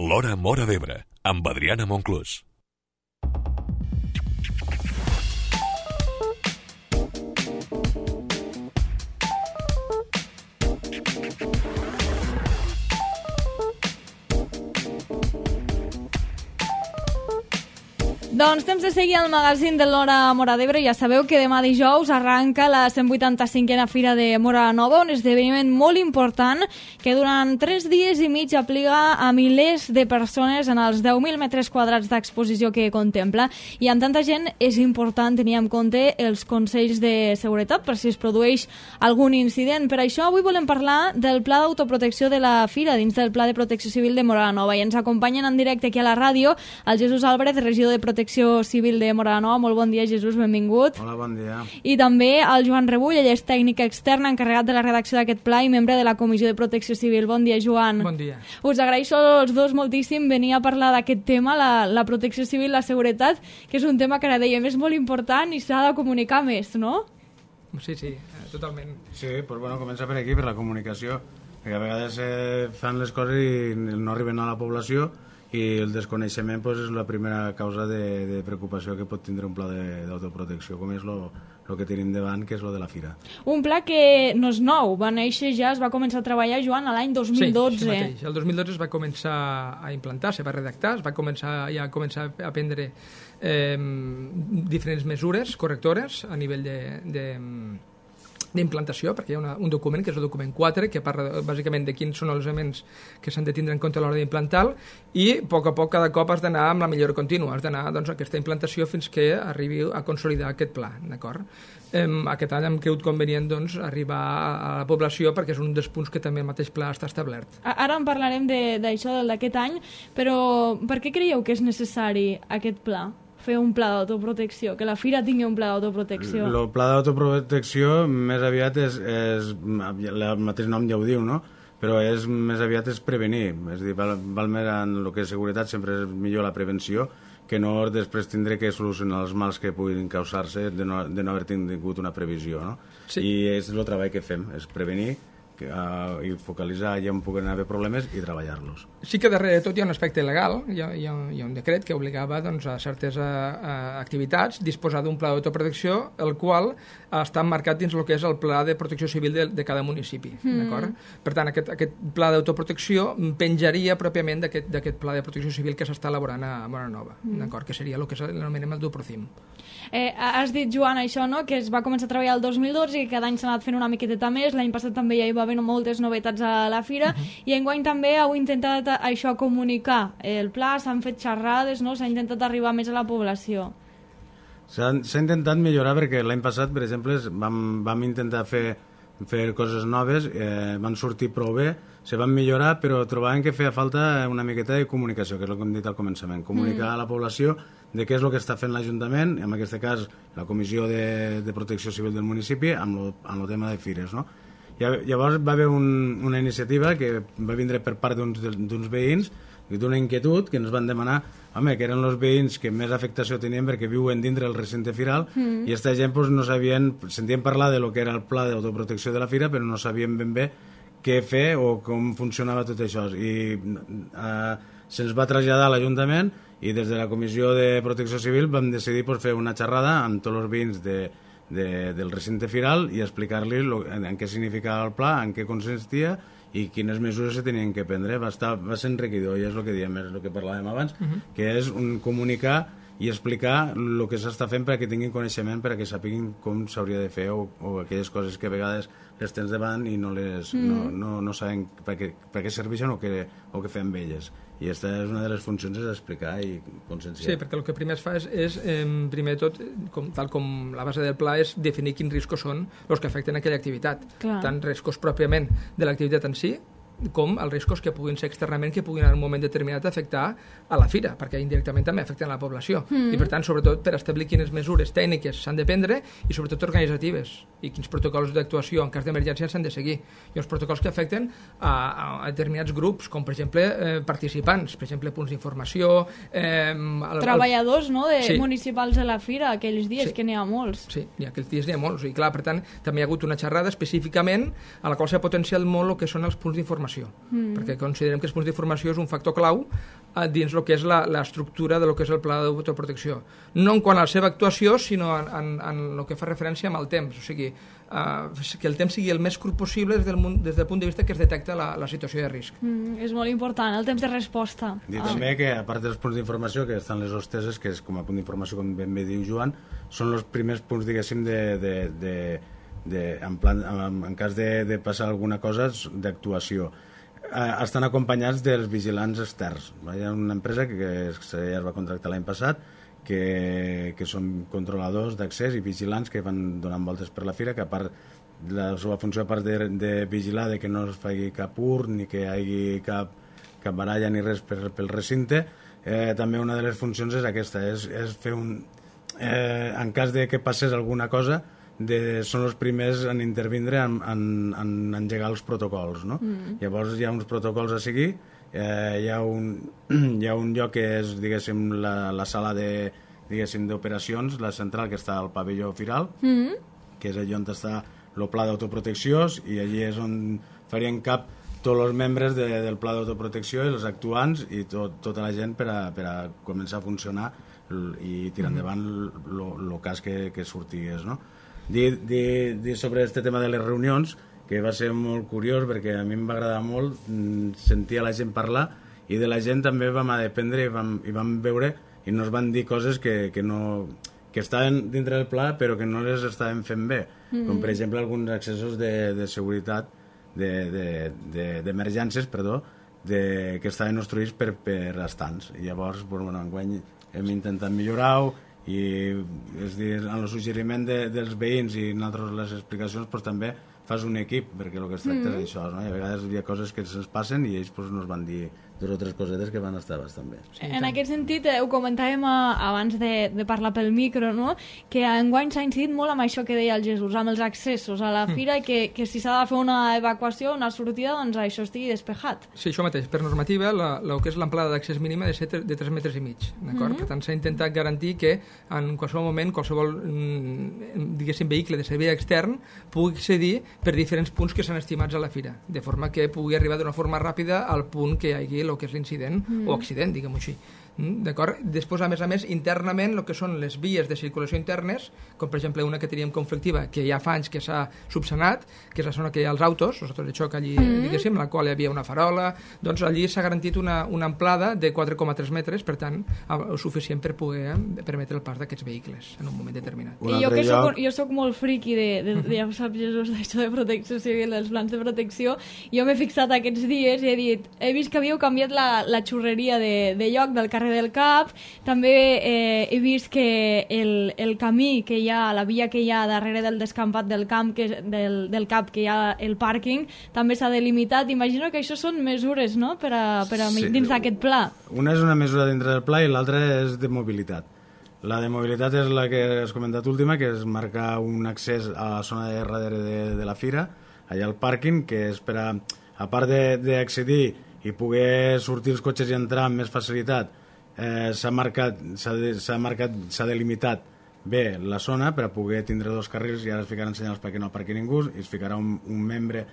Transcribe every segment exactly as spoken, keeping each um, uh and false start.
L'Hora Móra d'Ebre, amb Adriana Monclús. Doncs temps de seguir el magazín de l'Hora Móra d'Ebre. Ja sabeu que demà dijous arranca la cent vuitanta-cinquena Fira de Móra Nova, un esdeveniment molt important que durant tres dies i mig aplica a milers de persones en els deu mil metres quadrats d'exposició que contempla. I amb tanta gent és important tenir en compte els consells de seguretat per si es produeix algun incident. Per això avui volem parlar del pla d'autoprotecció de la Fira dins del Pla de Protecció Civil de Móra Nova. I ens acompanyen en directe aquí a la ràdio el Jesús Álvarez, regidor de Protecció Civil de Móra Nova. Molt bon dia, Jesús, benvingut. Hola, bon dia. I també el Joan Rebull, ell és tècnic extern encarregat de la redacció d'aquest pla i membre de la Comissió de Protecció Civil. Bon dia, Joan. Bon dia. Us agraeixo als dos moltíssim venir a parlar d'aquest tema, la, la protecció civil, la seguretat, que és un tema que ara dèiem és molt important i s'ha de comunicar més, no? Sí, sí, totalment. Sí, doncs bueno, comença per aquí, per la comunicació, perquè a vegades eh, fan les coses i no arriben a la població i el desconeixement pues, és la primera causa de, de preocupació que pot tindre un pla d'autoprotecció, com és el que tenim davant, que és lo de la Fira. Un pla que no és nou, va néixer ja, es va començar a treballar, Joan, a l'any dos mil dotze. Sí, això mateix. El dos mil dotze es va començar a implantar, se va redactar, es va començar ja a començar a prendre eh, diferents mesures correctores a nivell de... de d'implantació, perquè hi ha una, un document, que és el document quatre, que parla bàsicament de quins són els elements que s'han de tindre en compte a l'hora d'implantar, i a poc a poc cada cop has d'anar amb la millora contínua, has d'anar doncs, a aquesta implantació fins que arribi a consolidar aquest pla, d'acord? Eh, aquest any hem cregut convenient doncs, arribar a la població perquè és un dels punts que també el mateix pla està establert. Ara en parlarem d'això d'aquest any, però per què creieu que és necessari aquest pla? Fer un pla d'autoprotecció, que la Fira tingui un pla d'autoprotecció. El pla d'autoprotecció més aviat és, és, el mateix nom ja ho diu, no? Però és, més aviat és prevenir, és a dir, val, val més en el que és seguretat, sempre és millor la prevenció que no després tindré que solucionar els mals que puguin causar-se de no, de no haver tingut una previsió, no? Sí. I és el treball que fem, és prevenir que, uh, i focalitzar allà on puguen haver problemes i treballar-los. Sí que darrere de tot hi ha un aspecte legal, hi ha, hi ha, hi ha un decret que obligava doncs, a certes a, a activitats disposar d'un pla d'autoprotecció, el qual està marcat dins el que és el pla de protecció civil de, de cada municipi. Mm. D'acord? Per tant, aquest, aquest pla d'autoprotecció penjaria pròpiament d'aquest pla de protecció civil que s'està elaborant a Móra Nova, mm. d'acord? Que seria el que anomenem el DUPROCIM. Eh, has dit, Joan, això, no? Que es va començar a treballar el dos mil dotze i que cada any s'ha anat fent una miqueteta més. L'any passat també ja hi va haver moltes novetats a la Fira, uh -huh. i enguany també heu intentat això comunicar el pla, s'han fet xerrades, no? S'ha intentat arribar més a la població. S'ha intentat millorar perquè l'any passat, per exemple, vam, vam intentar fer, fer coses noves, eh, van sortir prou bé, se van millorar, però trobàvem que feia falta una miqueta de comunicació, que és el que hem dit al començament, comunicar mm. a la població de què és el que està fent l'Ajuntament, en aquest cas la Comissió de, de Protecció Civil del municipi, amb el, amb el tema de fires, no? Llavors va haver un, una iniciativa que va vindre per part d'uns veïns, d'una inquietud, que ens van demanar, home, que eren els veïns que més afectació tenien perquè viuen dintre del recinte firal, mm. i aquesta gent pues, no sabien, sentien parlar de lo que era el pla d'autoprotecció de la Fira, però no sabien ben bé què fer o com funcionava tot això. I eh, se'ns va traslladar a l'Ajuntament i des de la Comissió de Protecció Civil vam decidir pues, fer una xerrada amb tots els veïns de De, del recinte firal i explicar-li en, en què significava el pla, en què consistia i quines mesures se tenien que prendre. Va, estar, va ser enriquidor, i és el que diem, és el que parlàvem abans, uh -huh. que és un comunicar i explicar el que s'està fent perquè tinguin coneixement, perquè sàpiguin com s'hauria de fer o, o aquelles coses que a vegades les tens davant i no, les, mm. no, no, no saben per què, per què serveixen o què, o què fem amb elles. I aquesta és una de les funcions, és explicar i conscienciar. Sí, perquè el que primer es fa és, és eh, primer de tot, com, tal com la base del pla, és definir quins riscos són els que afecten aquella activitat. Clar. Tant riscos pròpiament de l'activitat en si, com els riscos que puguin ser externament, que puguin en un moment determinat afectar a la Fira, perquè indirectament també afecten a la població. Mm. I per tant, sobretot, per establir quines mesures tècniques s'han de prendre i sobretot organitzatives, i quins protocols d'actuació en cas d'emergència s'han de seguir. I els protocols que afecten a, a determinats grups, com per exemple eh, participants, per exemple punts d'informació... Eh, el, treballadors, no?, de sí. municipals de la Fira, aquells dies, sí. que n'hi ha molts. Sí, i aquells dies n'hi ha molts. I clar, per tant, també hi ha hagut una xerrada específicament a la qual s'ha potenciat molt el que són els punts d'informació. d'informació, mm. perquè considerem que els punts d'informació és un factor clau dins el que és l'estructura de lo que és el pla d'autoprotecció. No en quant a la seva actuació, sinó en, en, en el que fa referència amb el temps. O sigui, uh, que el temps sigui el més curt possible des del, des del punt de vista que es detecta la, la situació de risc. Mm, és molt important, el temps de resposta. Dir ah. també que, a part dels punts d'informació, que estan les hosteses, que és com a punt d'informació, com ben bé diu Joan, són els primers punts, diguéssim, de... de, de, de en, plan, en, en cas de, de passar alguna cosa, d'actuació. Estan acompanyats dels vigilants externs. Hi ha una empresa que, que ja es va contractar l'any passat que, que són controladors d'accés i vigilants que van donant voltes per la fira, que a part la seva funció, a part de, de vigilar de que no es faci cap ur ni que hi hagi cap, cap baralla ni res per, pel recinte, eh, també una de les funcions és aquesta, és, és fer un... Eh, en cas de que passés alguna cosa, de, són els primers en intervindre en, en, en engegar els protocols, no? Mm. Llavors hi ha uns protocols a seguir, eh, hi, ha un, hi ha un lloc que és, diguéssim, la, la sala de, diguéssim, d'operacions, la central que està al pavelló firal, mm. que és allà on està el pla d'autoprotecció, i allí és on farien cap tots els membres de, del pla d'autoprotecció i els actuants i tot, tota la gent per a, per a començar a funcionar i tirar endavant el cas que, que sortigués, no? Dir, dir, dir sobre aquest tema de les reunions, que va ser molt curiós perquè a mi em va agradar molt sentir a la gent parlar, i de la gent també vam aprendre i vam, i vam veure i nos van dir coses que, que, no, que estaven dintre del pla però que no les estaven fent bé, mm-hmm. com per exemple alguns accessos de, de seguretat d'emergències, de, de, de, perdó, de, que estaven construïts per, per estants, i llavors bueno, enguany hem intentat millorar-ho, i és dir, en el suggeriment de, dels veïns i en altres les explicacions pues, també fas un equip, perquè el que es tracta mm. és això, no? I a vegades hi ha coses que se'ns passen i ells pues, nos van dir dues o tres cosetes que van estar bastant bé. Sí, en aquest sentit, eh, ho comentàvem a, abans de, de parlar pel micro, no? Que enguany s'ha incidit molt amb això que deia el Jesús, amb els accessos a la fira, mm. que, que si s'ha de fer una evacuació, una sortida, doncs això estigui despejat. Sí, això mateix. Per normativa, la, la que és l'amplada d'accés mínima de ser de tres metres i mig, d'acord? Mm. Per tant, s'ha intentat garantir que en qualsevol moment qualsevol, diguéssim, vehicle de servei extern pugui accedir per diferents punts que s'han estimats a la fira, de forma que pugui arribar d'una forma ràpida al punt que hi hagi el que és l'incident, mm. o accident, diguem-ho així. D'acord? Després, a més a més, internament, el que són les vies de circulació internes, com per exemple una que teníem conflictiva, que ja fa anys que s'ha subsanat, que és la zona que hi ha els autos, els autos de xoc allí, mm. diguéssim, en la qual hi havia una farola, doncs allí s'ha garantit una, una amplada de quatre coma tres metres, per tant, el suficient per poder permetre el pas d'aquests vehicles en un moment determinat. I jo que soc, jo soc molt friqui de, de, de, ja ho saps, Jesús, d'això de protecció civil, dels plans de protecció, jo m'he fixat aquests dies i he dit, he vist que havíeu canviat la, la xurreria de, de lloc del carrer del Cap, també eh, he vist que el, el camí que hi ha, la via que hi ha darrere del descampat del camp, que és del, del Cap, que hi ha el pàrquing, també s'ha delimitat. Imagino que això són mesures, no?, per a, per a sí, dins d'aquest pla. Una és una mesura dintre del pla i l'altra és de mobilitat. La de mobilitat és la que has comentat última, que és marcar un accés a la zona de darrere de, de la fira, allà al pàrquing, que és per a, a part d'accedir i poder sortir els cotxes i entrar amb més facilitat, eh, s'ha marcat, s'ha de, s'ha marcat, s'ha delimitat bé la zona per a poder tindre dos carrils, i ara es ficaran senyals perquè no aparqui ningú, i es ficarà un, un membre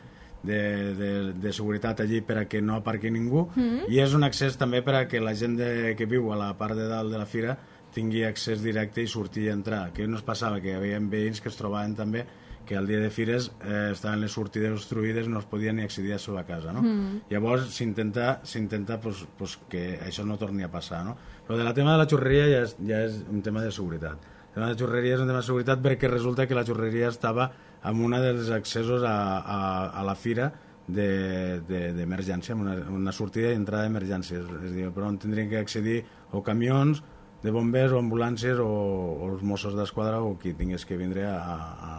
de, de, de seguretat allí per a que no aparqui ningú, mm-hmm. i és un accés també per a que la gent de, que viu a la part de dalt de la fira tingui accés directe i sortir i entrar, que no es passava, que hi havia veïns que es trobaven també que al dia de fires eh, estaven les sortides obstruïdes, no es podia ni accedir a la seva casa, no? Mm. Llavors s'intenta s'intenta pues, pues, que això no torni a passar, no? Però de la tema de la xurreria ja és, ja és un tema de seguretat. El tema de la xurreria és un tema de seguretat perquè resulta que la xurreria estava en una dels accessos a, a, a la fira d'emergència, de, de, una, una sortida i entrada d'emergències, és a dir, per on tindrien que accedir o camions de bombers o ambulàncies o, o els Mossos d'Esquadra o qui tingués que vindre a, a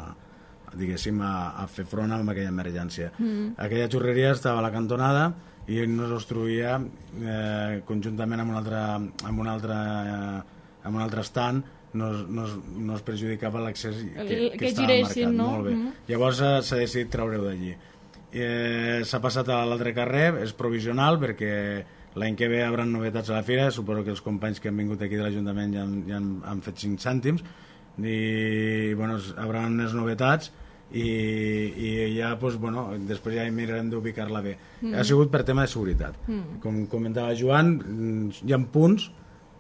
diguéssim, a, a fer front amb aquella emergència. Mm. Aquella xurreria estava a la cantonada i no s'obstruïa eh, conjuntament amb un altre, amb un altre, eh, amb un altre stand, no, no, no es perjudicava l'accés que, que, que estava giressin, marcat. No? Molt bé. Mm. Llavors s'ha decidit treure-ho d'allí. Eh, s'ha passat a l'altre carrer, és provisional perquè l'any que ve hi haurà novetats a la fira, suposo que els companys que han vingut aquí de l'Ajuntament ja, han, ja han, han fet cinc cèntims, i bueno, hi haurà unes novetats i, i ja, doncs, bueno, després ja mirarem d'ubicar-la bé. Mm. Ha sigut per tema de seguretat. Mm. Com comentava Joan, hi ha punts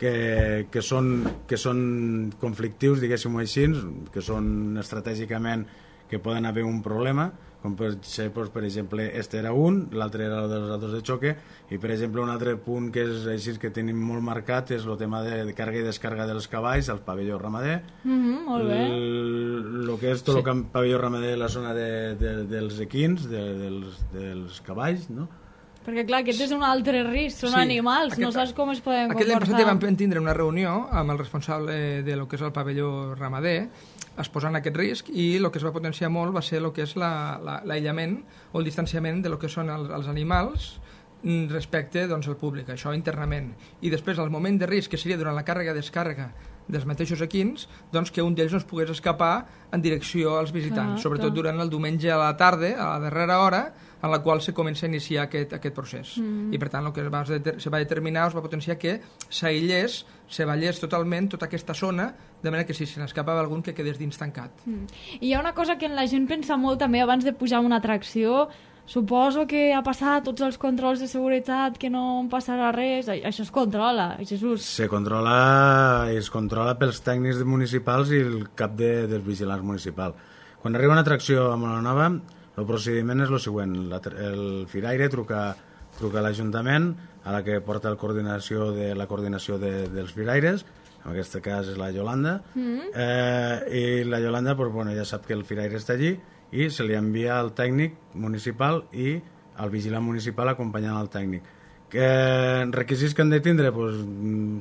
que, que, són, que són conflictius, diguéssim-ho així, que són estratègicament que poden haver un problema, com per, per exemple, este era un, l'altre era el dels autos de xoque, i per exemple un altre punt que és així que tenim molt marcat és el tema de, de càrrega i descàrrega dels cavalls al pavelló ramader. Mm-hmm, molt bé. El que és tot sí. El pavelló ramader, la zona de, de, dels equins, de, dels, dels cavalls, no? Perquè clar, aquest és un altre risc, són sí. animals, aquest, no saps com es poden comportar. Aquest l'any passat vam tindre una reunió amb el responsable de lo que és el pavelló ramader, exposant aquest risc, i el que es va potenciar molt va ser el que és l'aïllament o el distanciament de lo que són els, els animals respecte doncs, al públic, això internament. I després, al moment de risc, que seria durant la càrrega-descàrrega dels mateixos equins, doncs que un d'ells no es pogués escapar en direcció als visitants, clar, sobretot clar. Durant el diumenge a la tarda, a la darrera hora, en la qual se comença a iniciar aquest, aquest procés. Mm. I per tant el que va, se va determinar, es va potenciar que s'aïllés, se ballés totalment tota aquesta zona, de manera que si se n'escapava algun que quedés dins tancat. Mm. I hi ha una cosa que la gent pensa molt també abans de pujar a una atracció, suposo que ha passat tots els controls de seguretat, que no en passarà res, això es controla, Jesús. Se controla, es controla pels tècnics municipals i el cap de, dels vigilants municipals. Quan arriba una atracció a Molanova, el procediment és el següent, el firaire truca, truca a l'Ajuntament, a la que porta la coordinació de la coordinació de, dels firaires, en aquest cas és la Yolanda, mm-hmm. eh, i la Yolanda pues, bueno, ja sap que el firaire està allí i se li envia al tècnic municipal i al vigilant municipal acompanyant el tècnic. Que requisits que han de tindre pues,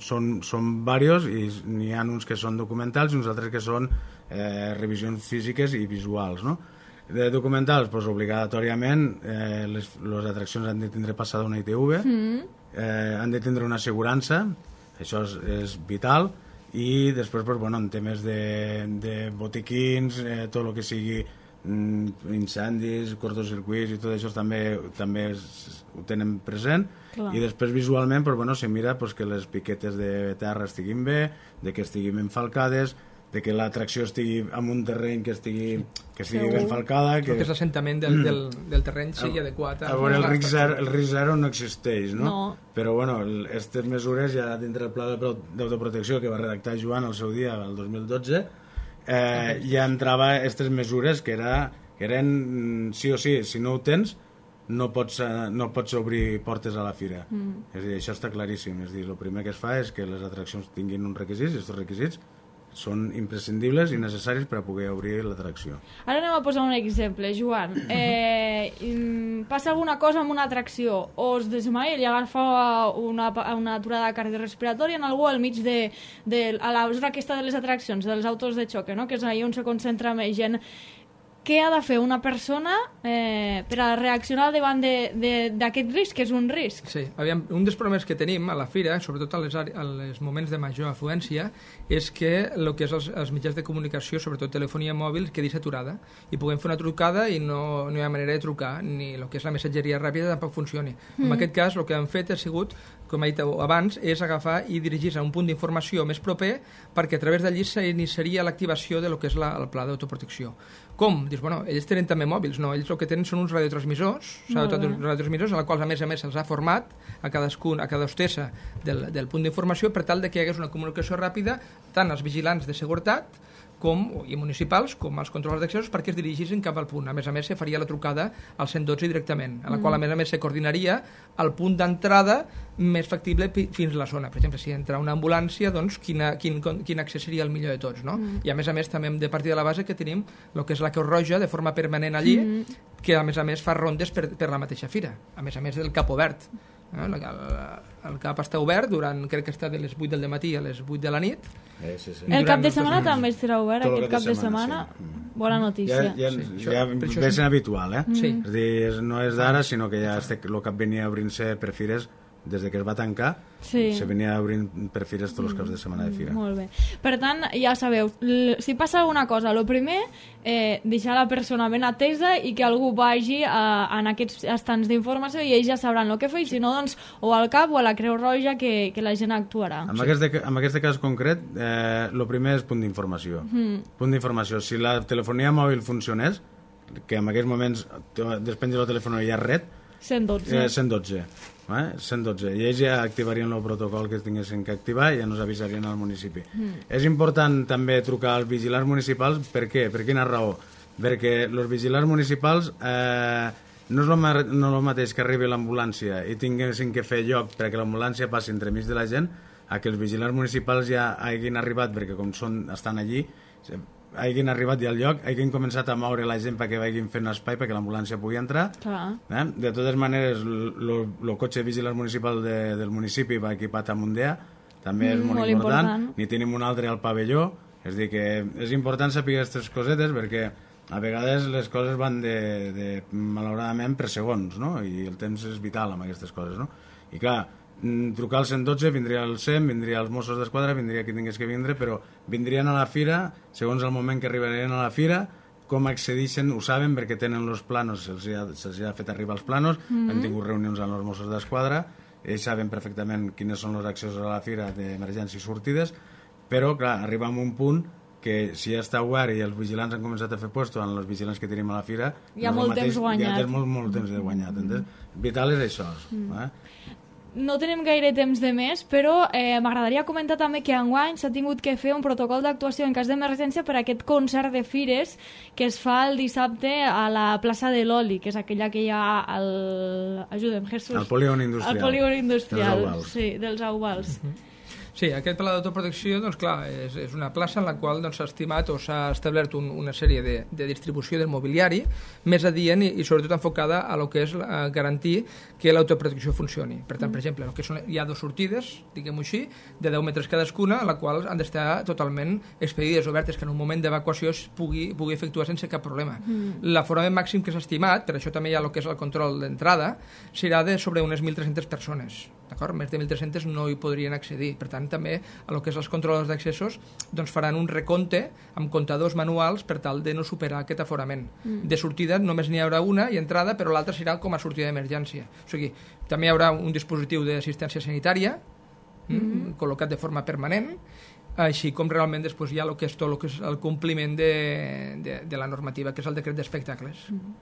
són, són diversos i n'hi ha uns que són documentals i uns altres que són eh, revisions físiques i visuals, no? De documentals, pues, obligatòriament eh, les, les atraccions han de tindre passada una I T V, mm. eh, han de tindre una assegurança, això és, és vital, i després pues, bueno, en temes de, de botiquins, eh, tot el que sigui mm, incendis, cortocircuits i tot això també, també es, ho tenen present. Clar. I després visualment pues, bueno, se mira pues, que les piquetes de terra estiguin bé, de que estiguin ben falcades, de que l'atracció estigui en un terreny que estigui, que estigui ben falcada. Que, que l'assentament del, del, del terreny sigui a, adequat. A veure, el risc, zero, el risc zero no existeix, no? no. Però, bueno, aquestes mesures ja dintre del pla d'autoprotecció que va redactar Joan al seu dia, el dos mil dotze, eh, ja entrava aquestes mesures que, era, que eren sí o sí, si no ho tens, no pots, no pots obrir portes a la fira. Mm. És a dir, això està claríssim. És a dir, el primer que es fa és que les atraccions tinguin uns requisits, i aquests requisits són imprescindibles i necessaris per a poder obrir l'atracció. Ara anem a posar un exemple, Joan. Eh, passa alguna cosa amb una atracció, o es desmaia i agafa una, una aturada cardiorrespiratòria en algú al mig de, de a la zona aquesta de les atraccions, dels autos de xoque, no? Que és allà on se concentra més gent. Què ha de fer una persona eh, per a reaccionar davant d'aquest risc, que és un risc? Sí, aviam, un dels problemes que tenim a la fira, sobretot als moments de major afluència, és que el que és els, els mitjans de comunicació, sobretot telefonia mòbil, quedi saturada i puguem fer una trucada i no, no hi ha manera de trucar, ni el que és la missatgeria ràpida tampoc funcioni. Mm. En aquest cas, el que han fet ha sigut, com he dit abans, és agafar i dirigir-se a un punt d'informació més proper perquè a través d'allí s'iniciaria l'activació de lo que és la, el pla d'autoprotecció. Com? Dius, bueno, ells tenen també mòbils, no, ells el que tenen són uns radiotransmissors, s'ha dotat uns radiotransmissors, a la quals a més a més se'ls ha format a cadascun, a cada hostessa del, del punt d'informació per tal de que hi hagués una comunicació ràpida tant als vigilants de seguretat com, i municipals com als controladors d'accessos perquè es dirigissin cap al punt. A més a més, se faria la trucada al cent dotze directament, a la mm. qual a més a més se coordinaria el punt d'entrada més factible fins a la zona. Per exemple, si entra una ambulància, doncs quina, quin, quin accés seria el millor de tots, no? Mm. I a més a més també hem de partir de la base que tenim el que és la Creu Roja de forma permanent allí, mm. que a més a més fa rondes per, per la mateixa fira, a més a més del cap obert. El, el, el cap està obert durant, crec que està de les vuit del matí a les vuit de la nit. Eh, sí, sí. El cap de setmana també estarà obert, tot aquest cap de setmana, de setmana sí. Bona notícia. Ja, ja, sí, ja, ja ve sent habitual, eh? Sí. És dir, no és d'ara, sinó que ja el cap venia obrint-se per fires des de que es va tancar, sí. Se venia obrint per fires tots els caps de setmana de fira. Molt bé. Per tant, ja sabeu, si passa alguna cosa, el primer, eh, deixar la persona ben atesa i que algú vagi a, en aquests estants d'informació i ells ja sabran el que fer, si no, doncs, o al CAP o a la Creu Roja que, que la gent actuarà. En, sí. aquest, de, en aquest cas concret, el eh, primer és punt d'informació. Mm. Punt d'informació. Si la telefonia mòbil funcionés, que en aquests moments despenja el telèfon i hi ha red, cent dotze. Eh, cent dotze. Eh? cent dotze. I ells ja activarien el protocol que tinguessin que activar i ja nos avisarien al municipi. Mm. És important també trucar als vigilants municipals. Per què? Per quina raó? Perquè els vigilants municipals eh, no és el no el mateix que arribi l'ambulància i tinguessin que fer lloc perquè l'ambulància passi entremig de la gent, a que els vigilants municipals ja hagin arribat, perquè com són, estan allí, hagin arribat ja al lloc, hagin començat a moure la gent perquè vagin fent espai perquè l'ambulància pugui entrar. Eh? De totes maneres, el cotxe vigilants municipal de, del municipi va equipat amb un D E A, també és mm, molt, molt important. important. Ni tenim un altre al pavelló, és dir que és important saber aquestes cosetes perquè a vegades les coses van de, de malauradament per segons, no? I el temps és vital amb aquestes coses, no? I clar, trucar al cent dotze, vindria el SEM, vindria els Mossos d'Esquadra, vindria qui tingués que vindre, però vindrien a la fira, segons el moment que arribarien a la fira, com accedixen, ho saben perquè tenen els planos, se'ls ha, se ha fet arribar els planos, mm-hmm. han tingut reunions amb els Mossos d'Esquadra, ells saben perfectament quines són els accessos a la fira d'emergència i sortides, però clar, arriba a un punt que si ja està obert i els vigilants han començat a fer puesto amb els vigilants que tenim a la fira, hi ha molt mateix, temps guanyat. Hi ha molt, molt temps de guanyat. Mm-hmm. Vital és això. Mm. Eh? No tenim gaire temps de més, però eh, m'agradaria comentar també que enguany s'ha tingut que fer un protocol d'actuació en cas d'emergència per a aquest concert de fires que es fa el dissabte a la plaça de l'Oli, que és aquella que hi ha al... Ajuda'm, Jesús. Al polígon industrial. Al polígon industrial, dels Auvals. Sí, dels Auvals. Uh-huh. Sí, aquest pla d'autoprotecció, doncs clar, és, és una plaça en la qual doncs, s'ha estimat o s'ha establert un, una sèrie de, de distribució del mobiliari més adient i, i sobretot enfocada a lo que és a garantir que l'autoprotecció funcioni. Per tant, per exemple, que són, hi ha dues sortides, diguem-ho així, de deu metres cadascuna, a la qual han d'estar totalment expedides, obertes, que en un moment d'evacuació es pugui, pugui efectuar sense cap problema. Mm. L'aforament màxim que s'ha estimat, per això també hi ha el que és el control d'entrada, serà de sobre unes mil tres-centes persones. D'acord? Més de mil tres-centes no hi podrien accedir. Per tant, també a lo que és els controladors d'accessos doncs faran un recompte amb comptadors manuals per tal de no superar aquest aforament. Mm. De sortida només n'hi haurà una i entrada, però l'altra serà com a sortida d'emergència. O sigui, també hi haurà un dispositiu d'assistència sanitària mm-hmm. col·locat de forma permanent, així com realment després hi ha el que és tot el, que és el compliment de, de, de la normativa, que és el decret d'espectacles. Mm.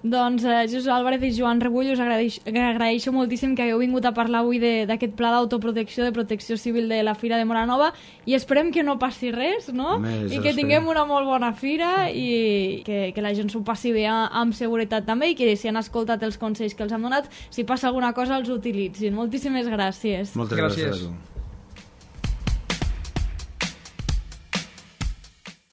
Doncs eh, Jesús Álvarez i Joan Rebull, us agraeixo, agraeixo moltíssim que hagueu vingut a parlar avui d'aquest pla d'autoprotecció, de protecció civil de la Fira de Móra Nova, i esperem que no passi res, no? Més, I que tinguem una molt bona fira i que, que la gent s'ho passi bé amb seguretat també i que si han escoltat els consells que els han donat, si passa alguna cosa els utilitzin. Moltíssimes gràcies. Moltes gràcies, gràcies a tu.